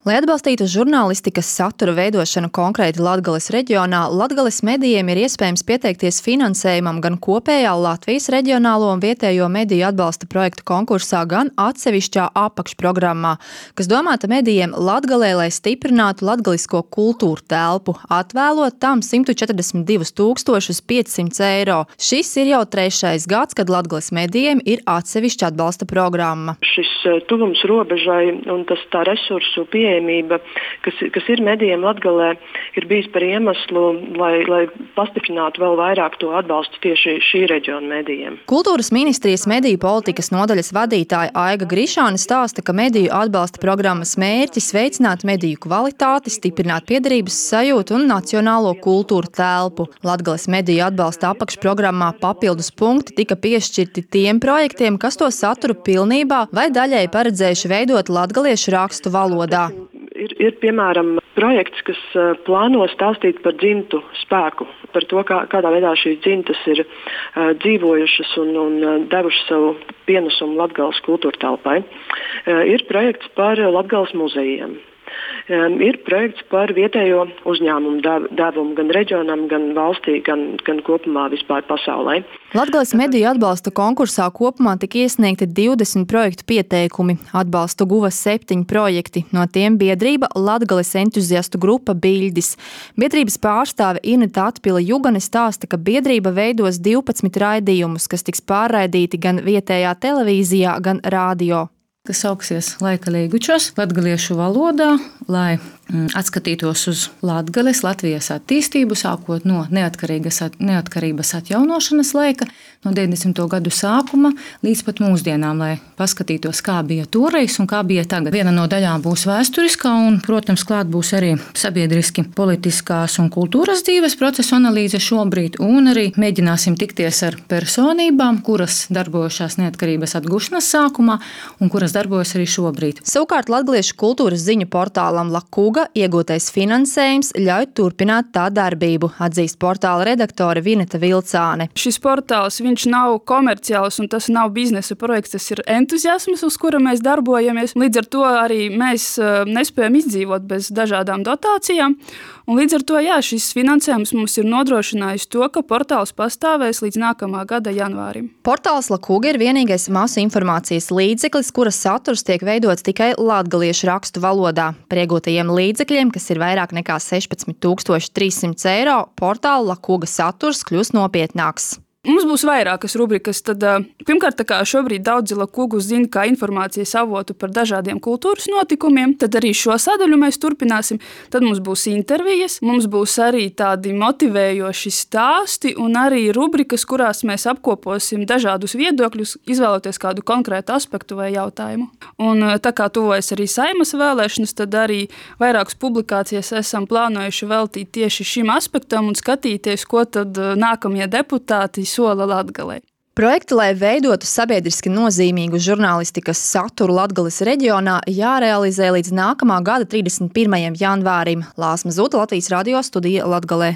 Lai atbalstītu žurnālistikas satura veidošanu konkrēti Latgales reģionā, Latgales medijiem ir iespējams pieteikties finansējumam gan kopējā Latvijas reģionālo un vietējo mediju atbalsta projektu konkursā, gan atsevišķā apakšprogrammā, kas domāta medijiem Latgalē, lai stiprinātu latgalisko kultūru telpu, atvēlot tam 142 500 eiro. Šis ir jau 3. gads, kad Latgales medijiem ir atsevišķa atbalsta programma. Šis tuvums robežai un tā resursu pieejamība, kas ir medijiem Latgalē, ir bijis par iemeslu, lai pastiprinātu vēl vairāk to atbalstu tieši šī reģiona medijiem. Kultūras ministrijas mediju politikas nodaļas vadītāja Aiga Grišāne stāsta, ka mediju atbalsta programmas mērķis veicināt mediju kvalitāti, stiprināt piederības sajūtu un nacionālo kultūru telpu. Latgales mediju atbalsta apakšprogrammā papildus punkti tika piešķirti tiem projektiem, kas to saturu pilnībā vai daļai paredzējuši veidot latgaliešu rakstu valodā. Ir piemēram, projekts, kas plāno stāstīt par dzimtu spēku, par to, kādā veidā šīs dzimtas ir dzīvojušas un devušas savu pienesumu Latgales kultūra telpai. Ir projekts par Latgales muzejiem. Ir projekts par vietējo uzņēmumu devumu gan reģionam, gan valstī, gan kopumā vispār pasaulē. Latgales mediju atbalsta konkursā kopumā tika iesniegti 20 projektu pieteikumi. Atbalstu guva 7 projekti, no tiem biedrība Latgales entuziastu grupa Biļģis. Biedrības pārstāve Ineta Atpila Jugane stāsta, ka biedrība veidos 12 raidījumus, kas tiks pārraidīti gan vietējā televīzijā, gan radio. Kas sauksies Laika līgučos latgaliešu valodā, lai atskatītos uz Latgales, Latvijas attīstību, sākot no neatkarības atjaunošanas laika, no 90. gadu sākuma līdz pat mūsdienām, lai paskatītos, kā bija toreiz un kā bija tagad. Viena no daļām būs vēsturiskā un, protams, klāt būs arī sabiedriski politiskās un kultūras dzīves procesu analīze šobrīd, un arī mēģināsim tikties ar personībām, kuras darbojušās neatkarības atgūšanas sākumā un kuras darbojas arī šobrīd. Savukārt latgaliešu kultūras ziņu portālam Lakuga iegūtais finansējums ļauj turpināt tā darbību, atzīst portāla redaktore Vineta Vilcāne. Šis portāls, viņš nav komerciāls un tas nav biznesa projekts, tas ir entuziasms, uz kura mēs darbojamies. Līdz ar to arī mēs nespējam izdzīvot bez dažādām dotācijām. Un līdz ar to, šis finansējums mums ir nodrošinājis to, ka portāls pastāvēs līdz nākamā gada janvārim. Portāls Lakuga ir vienīgais masu informācijas līdzeklis, kuras saturs tiek veidots tikai latgaliešu rakstu valodā. Par iegūtajiem līdzekļiem, kas ir vairāk nekā 16 300 eiro, portāla Lakuga saturs kļūs nopietnāks. Mums būs vairākas rubrikas. Tad, pirmkārt, tā kā šobrīd daudzi Lakugu zina kā informācijas avotu par dažādiem kultūras notikumiem, tad arī šo sadaļu mēs turpināsim. Tad mums būs intervijas, mums būs arī tādi motivējoši stāsti un arī rubrikas, kurās mēs apkoposim dažādus viedokļus, izvēloties kādu konkrētu aspektu vai jautājumu. Un tā kā tuvojas arī Saeimas vēlēšanas, tad arī vairākas publikācijas esam plānojuši veltīt tieši šim aspektam un skatīties, ko tad nākamie deputāti sola Latgalē. Projekti, lai veidotu sabiedriski nozīmīgu žurnālistikas saturu Latgales reģionā, jārealizē līdz nākamā gada 31. janvārim. Lāsma Zuta, Latvijas radio studija Latgalē.